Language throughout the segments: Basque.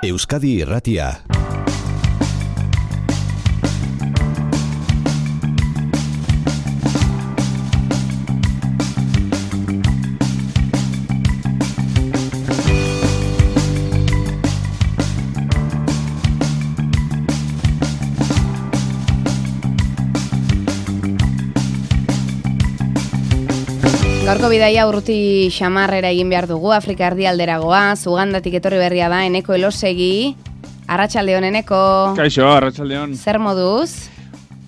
Euskadi Irratia. Gaurko bidaia urruti xamarrera egin behar dugu, Afrika erdialdera goaz, Ugandatik etorri berria da, Eneko Elosegi. Arratsaldeon, Eneko. Kaixo, arratsaldeon. Zer moduz?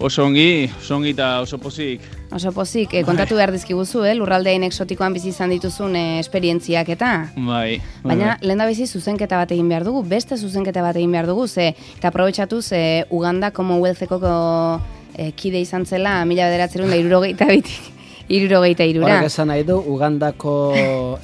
Oso ongi eta oso pozik. Oso pozik, kontatu behar dizkiguzu, lurraldein exotikoan bizi izan dituzun esperientziak eta? Bai. Baina, lehen da bizi zuzenketa bat egin behar dugu, beste zuzenketa bat egin behar dugu, eta aprobetxatuz Uganda Commonwealtheko kide izan zela 1972 Horrek esan nahi du, Ugandako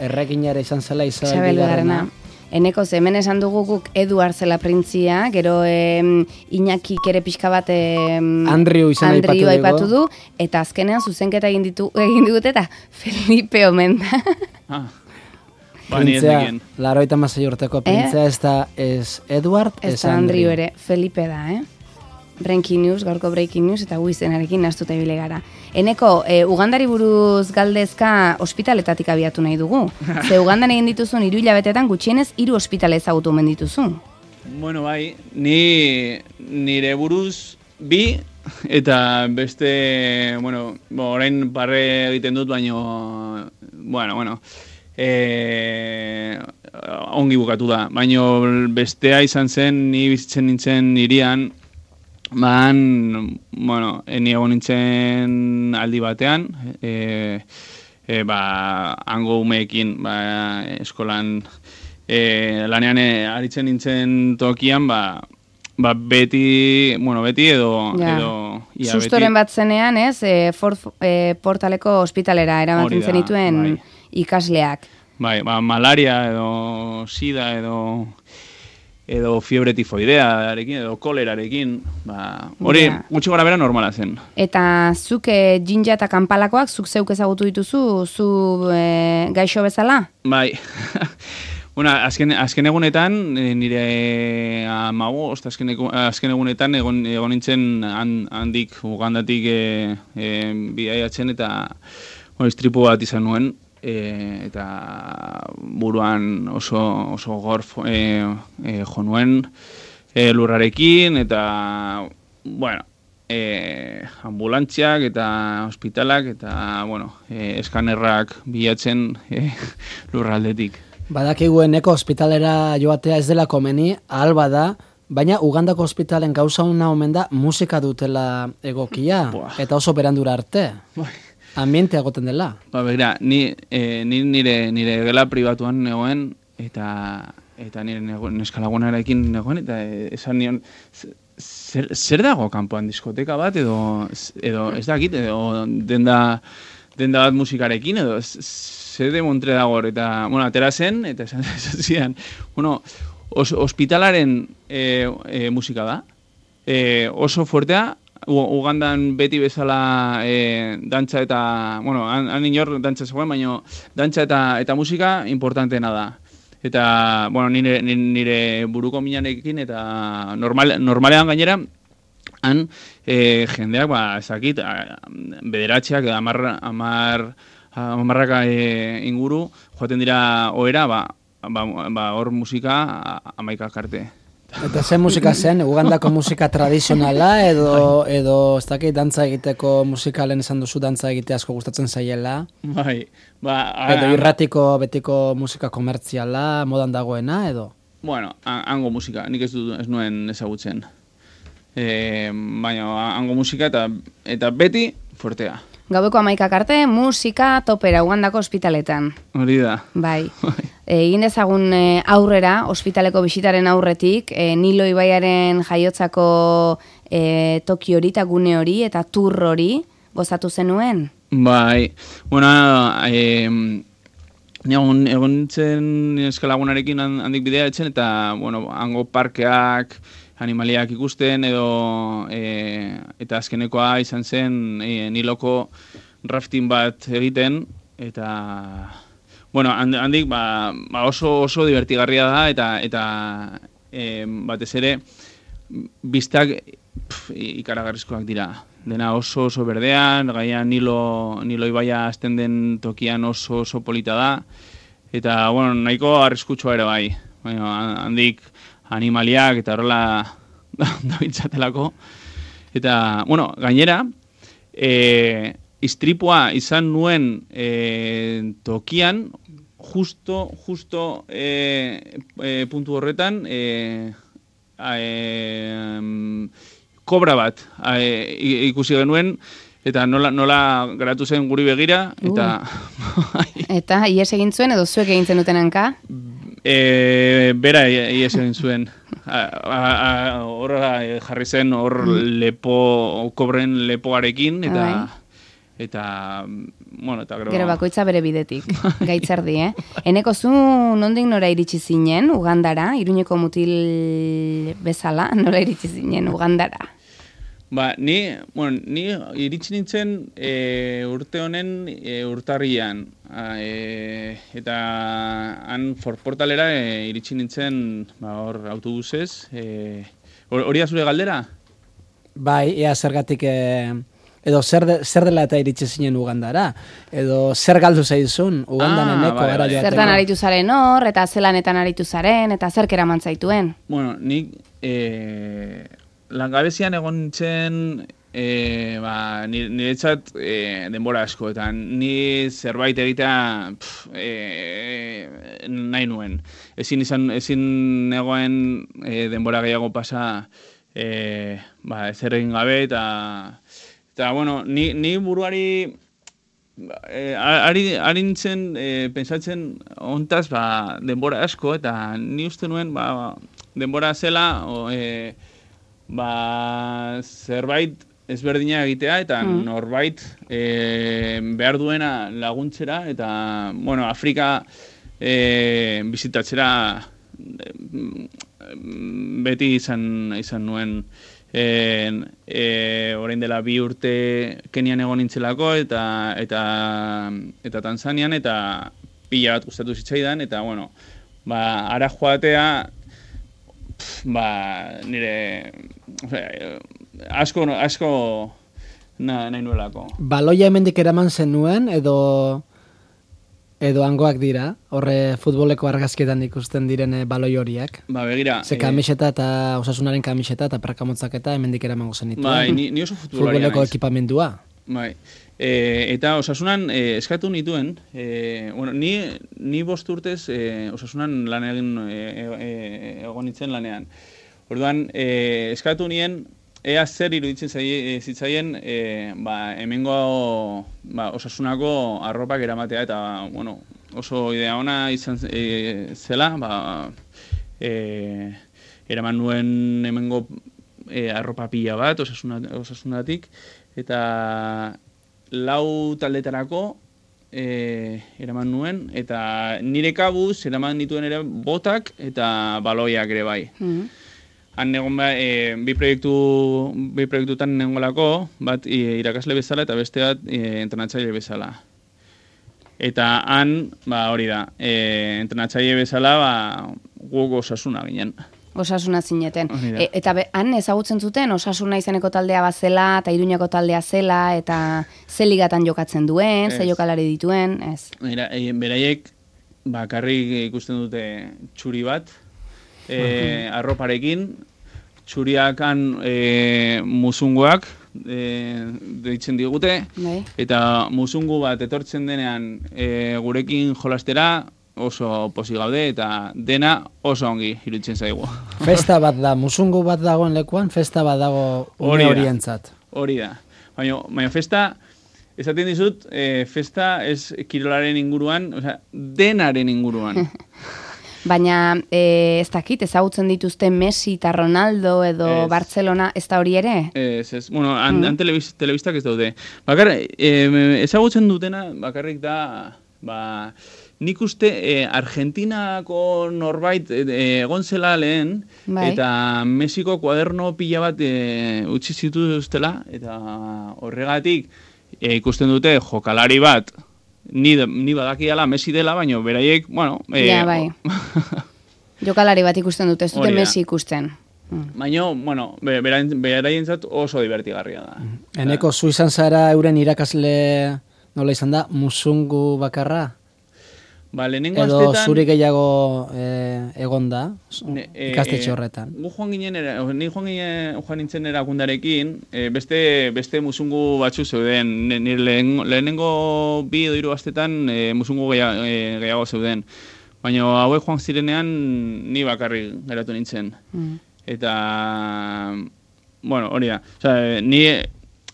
erreginara izan zela Isabel Bigarrena. Eneko, hemen esan dugu guk Eduard zela printzia, gero Iñaki ere pixka bat Andrew aipatu du, eta azkenean zuzenketa egin digute eta Felipe omen da. Printzia, 86 urteko printzia, ez Eduard, ez Andrew ere, Felipe da, Breaking News, gaurko Breaking News, eta guizenarekin nastuta ibile gara. Eneko, Ugandari buruz galdezka ospitaletatik abiatu nahi dugu. Ze Ugandan egin dituzun 3 hilabetetan gutxienez 3 ospitale ezagutu omen dituzu. Bueno, bai, nire buruz 2, eta beste, orain barre egiten dut, baino, ongi bukatu da. Baino bestea izan zen, ni bizitzen nintzen hirian, ni egon nintzen aldi batean, hango umeekin, eskolan lanean aritzen nintzen tokian, beti edo sustoren bat zenean, Portaleko ospitalera eramaten zenituen ikasleak. Bai, malaria edo sida edo fiebre tifoidearekin, edo kolerarekin, hori gutxi gara bera normala zen. Eta zuk jinja eta kanpalakoak, zuk zeuk ezagutu dituzu, zu gaixo bezala? Bai, azken egunetan, nire amago, azken egunetan egon nintzen handik, Ugandatik bidaiatzen eta istripu bat izan nuen, eta buruan oso gorf jo nuen lurrarekin, eta ambulantziak eta ospitalak eta eskanerrak bilatzen lurraldetik. Badakigu Eneko ospitalera joatea ez dela komeni, ahal bada, baina Ugandako ospitalen gauza una omen da musika dutela egokia, eta oso berandura arte. Ambiente agoten dela. Begira, ni nire gela pribatuan negoen, eta nire neskalagunarekin negoen, eta esan nion, zer dago kanpoan, diskoteka bat, edo ez dakit, edo denda bat musikarekin, edo zer demontre dago, eta, atera zen, eta esan zidan, ospitalaren musika da, oso fuertea, Ugandan beti bezala dantza eta, han inor dantza zegoen, baina dantza eta musika importanteena da. Eta, nire buruko minarekin eta normalean gainera, han jendeak, ezakit, bederatxeak, amarraka inguru, joaten dira ohera, hor musika 11 arte. Eta zen musika zen, Ugandako musika tradizionala edo ez dakit dantza egiteko musikalen esan duzu dantza egitea asko gustatzen zaiela? Bai. Edo irratiko betiko musika komertziala, modan dagoena edo? Hango musika, nik ez nuen ezagutzen. Baina hango musika eta beti fuertea. Gaueko 11 arte, musika topera Ugandako ospitaletan. Hori da. Bai. Egin dezagun aurrera, ospitaleko bisitaren aurretik, Nilo ibaiaren jaiotzako toki hori eta gune hori eta tur hori gozatu zenuen? Bai, egon nintzen eskalagunarekin handik bidea etzen, eta hango parkeak, animaliak ikusten, eta azkenekoa izan zen Niloko rafting bat egiten, eta handik oso divertigarria da, batez ere, biztak ikaragarrizkoak dira. Dena oso berdean, gaian Nilo ibaia azten den tokian oso polita da, eta, bueno, nahiko arriskutsua ere bai. Handik animaliak eta horrela dabitzatelako. Eta, bueno, gainera, istripua izan nuen tokian, justo puntu horretan, kobra bat ikusi genuen, eta nola geratu zen guri begira, eta... Eta, ies egin zuen, edo zuek egin zenuten hanka? Bera ies egin zuen. Hor jarri zen, hor kobren lepoarekin, eta bueno, eta gero bakoitza bere bidetik, gaitzerdi, Eneko zu nondik nora iritsi zinen Ugandara, Iruñeko mutil bezala, nola iritsi zinen Ugandara? Ni iritsi nintzen urte honen urtarrian, eta han Portalera iritsi nintzen hor autobusez. Hori da zure galdera? Bai, ea zergatik... Edo zer dela eta iritsi zinen Ugandara? Edo zer galdu zaizun Ugandan eneko gara joaten? Zertan aritu zaren hor, eta zelanetan aritu zaren, eta zer keraman zaituen? Bueno, nik langabezian egon nintzen niretzat denbora asko, eta ni zerbait egitea nahi nuen. Ezin egoen denbora gehiago pasa ezer egin gabe, eta, bueno, ni buruari ari nintzen pensatzen ontaz denbora asko, eta ni uste nuen denbora zela zerbait ezberdina egitea, eta norbait behar duena laguntzera, eta, bueno, Afrika bizitatzera beti izan nuen. Orain dela 2 urte Kenian egon nintzelako eta Tanzanian, eta pila bat gustatu zitzaidan, eta bueno, ara joatea nire asko nahi nuelako. Baloia hemendik eraman zenuen edo hangoak dira, horre futboleko argazkietan ikusten diren baloi horiak. Begira... Ze kamiseta eta Osasunaren kamiseta eta prakamotzaketa hemendik eramango zenituen. Ni oso futbolaria naiz. Futboleko ekipamendua. Eta Osasunan eskatu nituen, ni 5 urtez Osasunan lan egon nintzen lanean. Orduan, eskatu nien, ea zer iruditzen zitzaien hemengo Osasunako arropak eramatea, eta bueno, oso idea ona izan zela, eraman nuen hemengo arropa pila bat Osasunatik, eta 4 taldetarako eraman nuen, eta nire kabuz eraman dituen ere botak eta baloiak ere bai. Han egon bi proiektutan negolako, bat irakasle bezala eta beste bat entrenatzaile bezala. Eta han, hori da, entrenatzaile bezala guk Osasuna ginen. Osasuna zineten. Eta han ezagutzen zuten Osasuna izeneko taldea bazela, eta Iruñako taldea zela, eta ze ligatan jokatzen duen, ze jokalari dituen, ez? Beraiek bakarrik ikusten dute txuri bat, arroparekin, txuriak han musunguak deitzen digute, eta musungu bat etortzen denean gurekin jolastera, oso posi gaude, eta dena oso ongi iruditzen zaigu. Festa bat da, musungu bat dagoen lekuan, festa bat dago une horientzat. Hori da. Baina festa, esaten dizut, festa ez kirolaren inguruan, denaren inguruan. Baina ez dakit, ezagutzen dituzte Messi eta Ronaldo edo Barcelona, ez da hori ere? Ez. Bueno, han telebistak ez daude. Ezagutzen dutena bakarrik da, nik uste Argentinako norbait egon zela lehen, eta Mexiko kuaderno pila bat utzi zituztela, eta horregatik ikusten dute jokalari bat, ni badakiala Messi dela, baina beraiek, bueno... bai. Jokalari bat ikusten dute, ez dute Messi ikusten. Baina, bueno, beraientzat oso divertigarria da. Eneko, zu izan zara euren irakasle nola izan da, musungu bakarra? Ba, lehenengo edo astetan... zuri gehiago egon da, ikastetxe horretan. Ni joan nintzen erakundarekin, beste musungu batzu zeuden. Lehenengo 2 edo 3 astetan musungu gehiago zeuden. Baina hauek joan zirenean ni bakarrik geratu nintzen. Eta, bueno, hori da. Osea, ni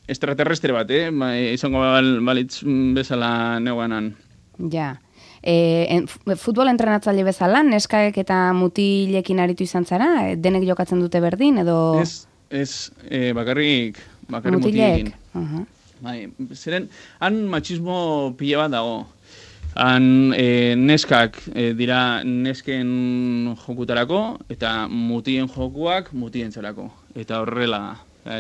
extraterrestre bat, izango balitz bezala neuanan. Ja. Futbol entrenatzaile bezala, neskak eta mutilekin aritu izan zara? Denek jokatzen dute berdin, edo... Ez, bakarrik mutilekin. Bai, zeren, han machismo pila bat dago. Han neskak dira nesken jokutarako, eta mutien jokuak mutientzarako. Eta horrela da.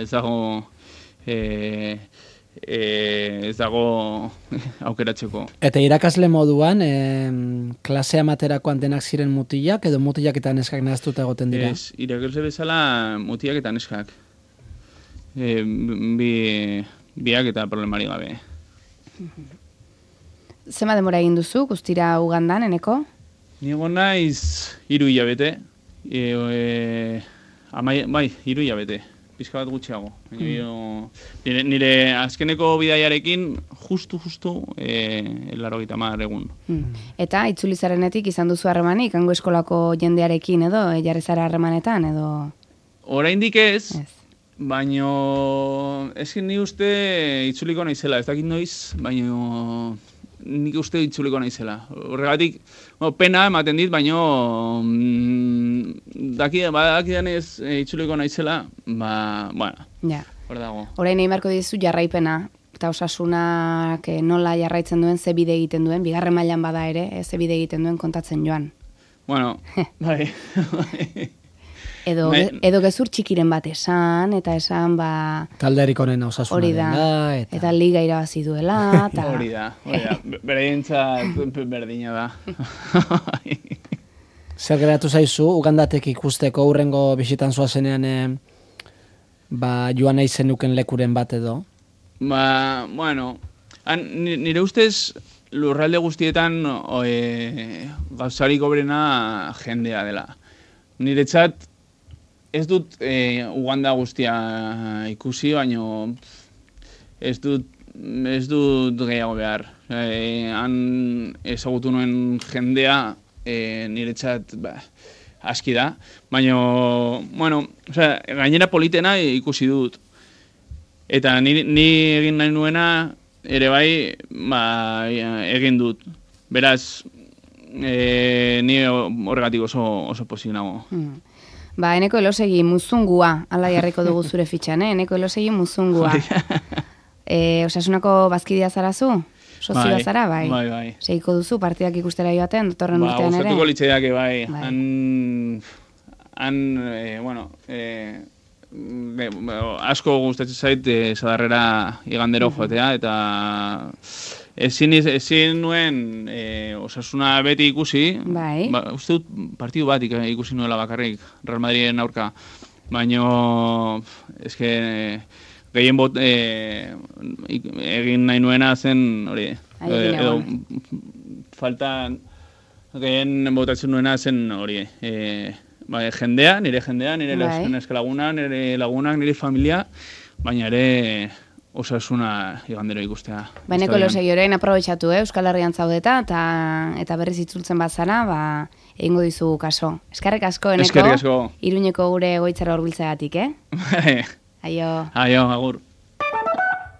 Ez dago aukeratzeko. Eta irakasle moduan, klasea materakoan denak ziren mutilak, edo mutilak eta neskak nahaztuta egoten dira? Ez, irakasle bezala mutilak eta neskak. Biak eta problemari gabe. Zema demora egin duzu, guztira Ugandan, Eneko? Ni egon naiz 3 hilabete. Bai, 3 hilabete. Pizka bat gutxiago. Nire azkeneko bidaiarekin justu 80 egun. Eta itzuli zarenetik izan duzu harremanik, hango eskolako jendearekin edo, jarri zara harremanetan edo? Oraindik ez, baino ezkin ni uste itzuliko naizela, ez dakit noiz, baino nik uste itzuliko naizela. Horregatik, pena ematen dit, baino dakidan ez itzuliko naizela, bueno, hor dago. Orain nahi marko dizu jarraipena, eta osasunak nola jarraitzen duen, ze bide egiten duen, bigarren mailan bada ere, ze bide egiten duen kontatzen joan. Bueno, bai. Edo gezur txikiren bat esan, eta esan, talderik onena osasunaren da, eta liga irabazi duela, eta... Hori da. Beraientzat berdina da. Zer geratu zaizu, Ugandatek ikusteko hurrengo bisitan zoazenean joan nahi zenuken lekuren bat edo? Bueno, nire ustez lurralde guztietan gauzarik obrena jendea dela. Niretzat ez dut Uganda guztia ikusi, baino ez dut gehiago behar. Han ezagutu nuen jendea niretzat aski da, baina, bueno, gainera politena ikusi dut. Eta ni egin nahi nuena ere bai egin dut. Beraz, ni horregatik oso pozik nago. Eneko Elosegi muzungua, ala jarriko dugu zure fitxan, Eneko Elosegi muzungua. Osasunako bazkidea zarazu? Sozioa zara, bai? Bai. Seiko duzu partidak ikustera joaten, datorren urtean ere? Gustatuko litzaidak, bai. Asko gustatzen zait Sadarrera igandero joatea, eta ezin nuen osasuna beti ikusi. Bai. Uste dut partidu bat ikusi nuela bakarrik, Real Madriden aurka. Baina, eske... gehien egin nahi nuena zen, hori, edo faltan gehien botatzen nuena zen, hori, jendea, nire neskalagunak, nire lagunak, nire familia, baina ere osasuna igandero ikustea. Eneko Elosegi orain aprobetxatu, Euskal Herrian zaudeta, eta berriz itzultzen bazara, egingo dizugu kaso. Eskerrik asko, Eneko, Iruñeko gure goitzara horbiltzeagatik, Aio, agur.